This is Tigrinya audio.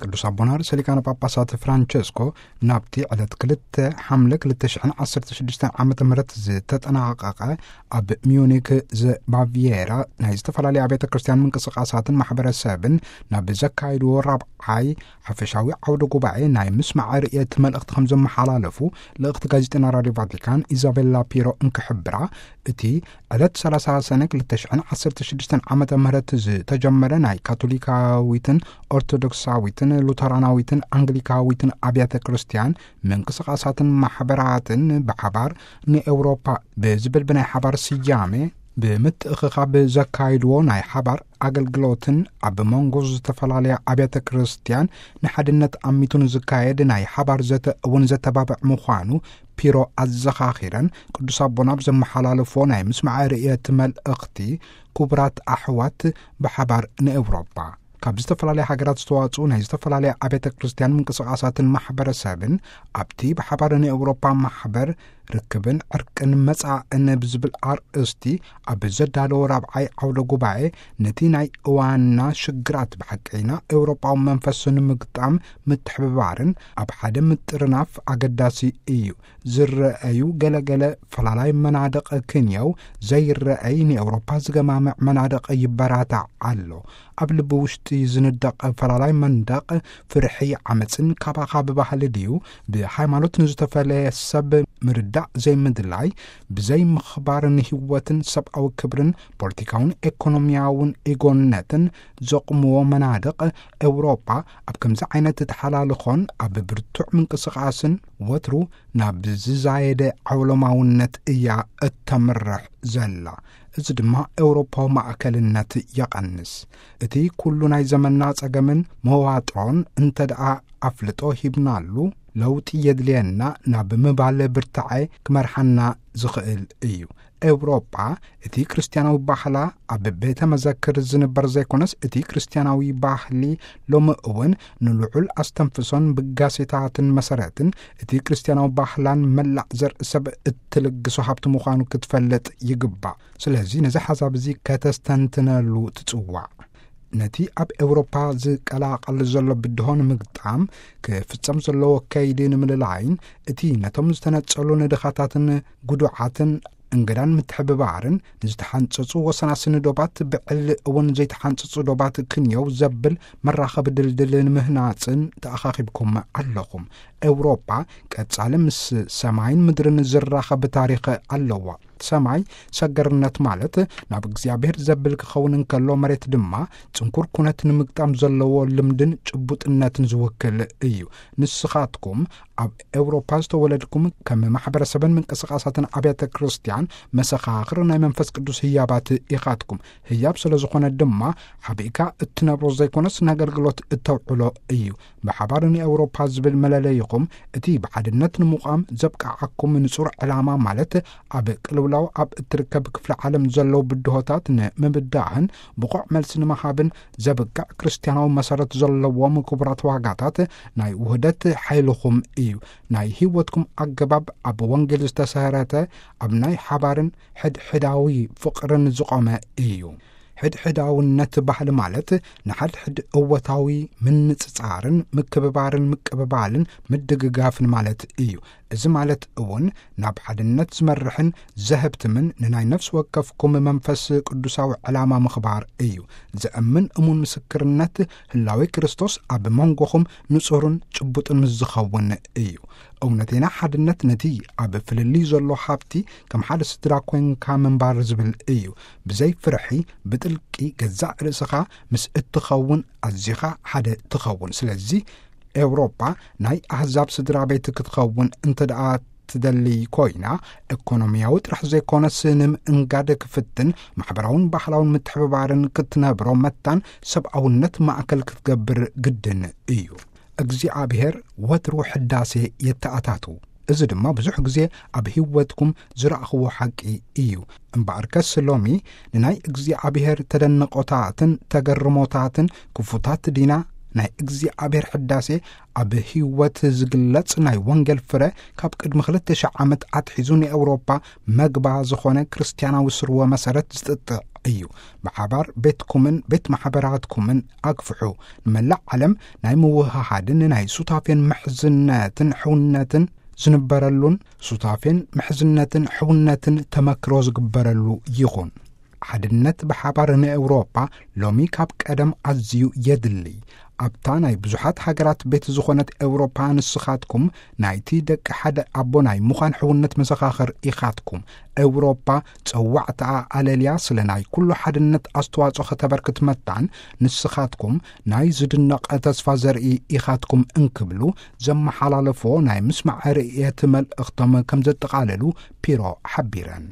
ቅዱስ ኣቦና ርእሰ ሊቃነ ጳጳሳት ፍራንቸስኮ ናብቲ ዕለት ክልተ ሓምለ ክልተ ሽሕን ዓሰርተ ሽዱሽተን ዓመተ ምህረት ዝተጠናቐቐ ኣብ ሚዩኒክ ዘባቪየራ ናይ ዝተፈላለዩ ኣብያተ ክርስቲያን ምንቅስቃሳትን ማሕበረሰብን ናብ ዘካየድዎ ራብዓይ ሓፈሻዊ ዓውደ ጉባኤ ናይ ምስማዕ ርእየት መልእኽቲ ከም ዘመሓላለፉ ልእኽቲ ጋዜጠና ራዲዮ ቫቲካን ኢዛቤላ ፒሮ እንክሕብራ፣ እቲ ዕለት ሰላሳ ሰነ ክልተ ሽሕን ዓሰርተ ሽዱሽተን ዓመተ ምህረት ዝተጀመረ ናይ ካቶሊካዊትን ኦርቶዶክሳዊትን ሉተራናዊትን ኣንግሊካዊትን ኣብያተ ክርስቲያን ምንቅስቃሳትን ማሕበራትን ብሓባር ንኤውሮፓ ብዝብል ብናይ ሓባር ስያሜ ብምትእኽኻብ ዘካይድዎ ናይ ሓባር ኣገልግሎትን ኣብ መንጎ ዝተፈላለያ ኣብያተ ክርስቲያን ንሓድነት ኣሚቱ ንዝካየድ ናይ ሓባር ዘተ እውን ዘተባብዕ ምዃኑ ፒሮ ኣዘኻኺረን፣ ቅዱስ ኣቦና ኣብ ዘመሓላለፎ ናይ ምስማዕ ርእየት መልእኽቲ፣ ክቡራት ኣሕዋት ብሓባር ንኤውሮጳ፣ ካብ ዝተፈላለያ ሃገራት ዝተዋጽኡ ናይ ዝተፈላለያ ኣብያተ ክርስቲያን ምንቅስቃሳትን ማሕበረሰብን ኣብቲ ብሓባር ንኤውሮጳ ማሕበር ርክብን ዕርቅን መጻእን ብዝብል ኣርእስቲ ኣብ ዘዳለዎ ራብዓይ ዓውደ ጉባኤ፣ ነቲ ናይ እዋንና ሽግራት ብሓቀይና ኤውሮጳዊ መንፈስ ንምግጣም ምትሕብባርን ኣብ ሓደ ምጥርናፍ ኣገዳሲ እዩ። ዝረአዩ ገለገለ ፈላላይ መናድቕ ክንየው፣ ዘይረአይ ንኤውሮፓ ዝገማምዕ መናድቕ ይበራታዕ ኣሎ። ኣብ ልቢ ውሽጢ ዝንደቕ ፈላላይ መንደቕ ፍርሒ፣ ዓመፅን ካባኻ ብባህሊ ድዩ ብሃይማኖት ንዝተፈለየ ሰብ ምርዳእ ዘይምድላይ፣ ብዘይ ምኽባር ንህይወትን ሰብኣዊ ክብርን ፖለቲካውን ኤኮኖሚያውን ኢጎነትን ዘቑምዎ መናድቕ፣ ኤውሮፓ ኣብ ከምዚ ዓይነት ተሓላልኾን ኣብ ብርቱዕ ምንቅስቃስን ወትሩ ናብ ዝዛየደ ዓውሎማውነት እያ እተምርሕ ዘላ። እዚ ድማ ኤውሮፓዊ ማእከልነት የቐንስ። እቲ ኩሉ ናይ ዘመንና ጸገምን መዋጥሮን እንተ ደኣ ኣፍልጦ ሂብናሉ፣ ለውጢ የድልየና ናብ ምባል ብርታዐ ክመርሓና ዝኽእል እዩ። ኤውሮጳ እቲ ክርስትያናዊ ባህላ ኣብ ቤተ መዘክር ዝንበር ዘይኮነስ፣ እቲ ክርስትያናዊ ባህሊ ሎሚ እውን ንልዑል ኣስተንፍሶን ብጋሴታትን መሰረትን እቲ ክርስትያናዊ ባህላን መላእ ዘርኢ ሰብ እትልግሶ ሃብቲ ምዃኑ ክትፈልጥ ይግባእ። ስለዚ ነዚ ሓሳብ እዚ ከተስተንትነሉ ትጽዋዕ። ነቲ ኣብ ኤውሮፓ ዝቀላቐል ዘሎ ብድሆ ንምግጣም ክፍጸም ዘለዎ ከይዲ ንምልላይን፣ እቲ ነቶም ዝተነጸሉ ንድኻታትን ጉዱዓትን እንግዳን ምትሕብባርን፣ ንዝተሓንጸጹ ወሰናስኒ ዶባት ብዕሊ እውን ዘይተሓንጸጹ ዶባት ክንየው ዘብል መራኸቢ ድልድል ንምህናጽን ተኣኻኺብኩም ኣለኹም። ኤውሮፓ ቀጻሊ ምስ ሰማይን ምድርን ዝራኸብ ታሪኽ ኣለዋ። ሰማይ ሰገርነት ማለት ናብ እግዚኣብሔር ዘብል ክኸውን እንከሎ፣ መሬት ድማ ጽንኩር ኩነት ንምግጣም ዘለዎ ልምድን ጭቡጥነትን ዝውክል እዩ። ንስኻትኩም ኣብ ኤውሮፓ ዝተወለድኩም፣ ከም ማሕበረሰብን ምንቅስቃሳትን ኣብያተ ክርስቲያን መሰኻኽር ናይ መንፈስ ቅዱስ ህያባት ኢኻትኩም። ህያብ ስለ ዝኾነ ድማ፣ ሓቢእካ እትነብሮ ዘይኮነስ፣ ንኣገልግሎት እተውዕሎ እዩ። ብሓባር ንኤውሮፓ ዝብል መለለይኹም፣ እቲ ብሓድነት ንምቋም ዘብቅዓኩም ንጹር ዕላማ፣ ማለት ኣብ ቅልውላው ኣብ እትርከብ ክፍለ ዓለም ዘለዉ ብድሆታት ንምብዳህን ብቑዕ መልሲ ንምሃብን ዘብቅዕ ክርስትያናዊ መሰረት ዘለዎም ክቡራት ዋጋታት ናይ ውህደት ሓይልኹም እዩ። ናይ ህይወትኩም ኣገባብ ኣብ ወንጌል ዝተሰረተ፣ ኣብ ናይ ሓባርን ሕድሕዳዊ ፍቕርን ዝቖመ እዩ። ሕድሕዳውነት ባህሊ ማለት ንሓድሕድ እወታዊ ምንጽጻርን ምክብባርን ምቅብባልን ምድግጋፍን ማለት እዩ። እዚ ማለት እውን ናብ ሓድነት ዝመርሕን ዘህብትምን ንናይ ነፍሲ ወከፍኩም መንፈስ ቅዱሳዊ ዕላማ ምኽባር እዩ። ዘእምን እሙን ምስክርነት ህላዌ ክርስቶስ ኣብ መንጎኹም ንጹርን ጭቡጥን ምስ ዝኸውን እዩ። እውነተይና ሓድነት ነቲ ኣብ ፍልልይ ዘሎ ሃብቲ ከም ሓደ ስድራ ኮንካ ምንባር ዝብል እዩ። ብዘይ ፍርሒ ብጥልቂ ገዛእ ርእስኻ ምስ እትኸውን ኣዚኻ ሓደ ትኸውን። ስለዚ ኤውሮጳ ናይ ኣህዛብ ስድራ ቤት ክትኸውን እንተ ደኣ ትደሊ ኮይና፣ ኤኮኖሚያዊ ጥራሕ ዘይኮነስ ንምእንጋድ ክፍትን ማሕበራውን ባህላውን ምትሕብባርን ክትነብሮ መታን ሰብኣውነት ማእከል ክትገብር ግድን እዩ። እግዚኣብሔር ወትሩ ሕዳሴ የተኣታቱ። እዚ ድማ ብዙሕ ግዜ ኣብ ህይወትኩም ዝረኣኽዎ ሓቂ እዩ። እምበኣርከስ ሎሚ ንናይ እግዚኣብሔር ተደንቆታትን ተገርሞታትን ክፉታት ዲና? ናይ እግዚኣብሔር ሕዳሴ ኣብ ህይወት ዝግለጽ ናይ ወንጌል ፍረ ካብ ቅድሚ ክልተ ሽሕ ዓመት ኣትሒዙ ንኤውሮፓ መግባ ዝኾነ ክርስትያናዊ ስርወ መሰረት ዝጥጥዕ እዩ። ብሓባር ቤትኩምን ቤት ማሕበራትኩምን ኣግፍሑ። ንመላእ ዓለም ናይ ምውህሃድን ናይ ሱታፌን ምሕዝነትን ሕውነትን ዝንበረሉን ሱታፌን ምሕዝነትን ሕውነትን ተመክሮ ዝግበረሉ ይኹን። ሓድነት ብሓባር ንኤውሮጳ ሎሚ ካብ ቀደም ኣዝዩ የድሊ። ኣብታ ናይ ብዙሓት ሃገራት ቤት ዝኾነት ኤውሮጳ፣ ንስኻትኩም ናይቲ ደቂ ሓደ ኣቦ ናይ ምዃን ሕውነት መሰኻኽር ኢኻትኩም። ኤውሮጳ ጸዋዕታኣ ኣለልያ ስለ ናይ ኩሉ ሓድነት ኣስተዋጽኦ ከተበርክት መታን፣ ንስኻትኩም ናይ ዝድነቕ ተስፋ ዘርኢ ኢኻትኩም እንክብሉ ዘመሓላለፎ ናይ ምስማዕ ርእየት መልእኽቶም ከም ዘጠቓለሉ ፒሮ ሓቢረን።